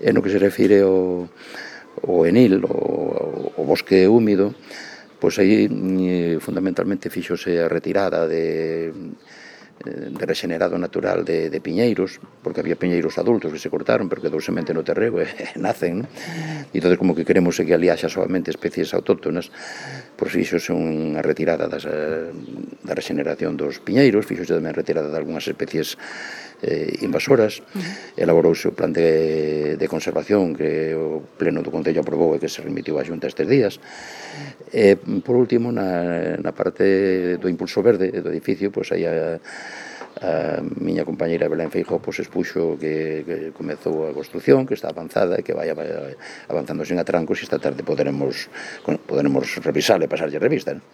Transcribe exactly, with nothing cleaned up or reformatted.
E no que se refire ao, ao enil, o, o bosque húmido, pois aí fundamentalmente fixose a retirada de de regenerado natural de, de piñeiros, porque había piñeiros adultos que se cortaron, pero quedou semente no terreo e nacen, non? E entón, como que queremos que ali haxa solamente especies autóctonas, pois fixose unha retirada das, da regeneración dos piñeiros, fixose tamén a retirada de algunhas especies eh, invasoras, uh-huh. Elaborouse o plan de, de conservación que o Pleno do Concello aprobou e que se remitiu á Xunta estes días. E, por último, na, na parte do impulso verde do edificio, pois aí a, a miña compañeira Belén Feijóo pois expuxo que, que comezou a construción, que está avanzada e que vai avanzando sen atrancos, e esta tarde poderemos, poderemos revisar e pasarlle revista, non?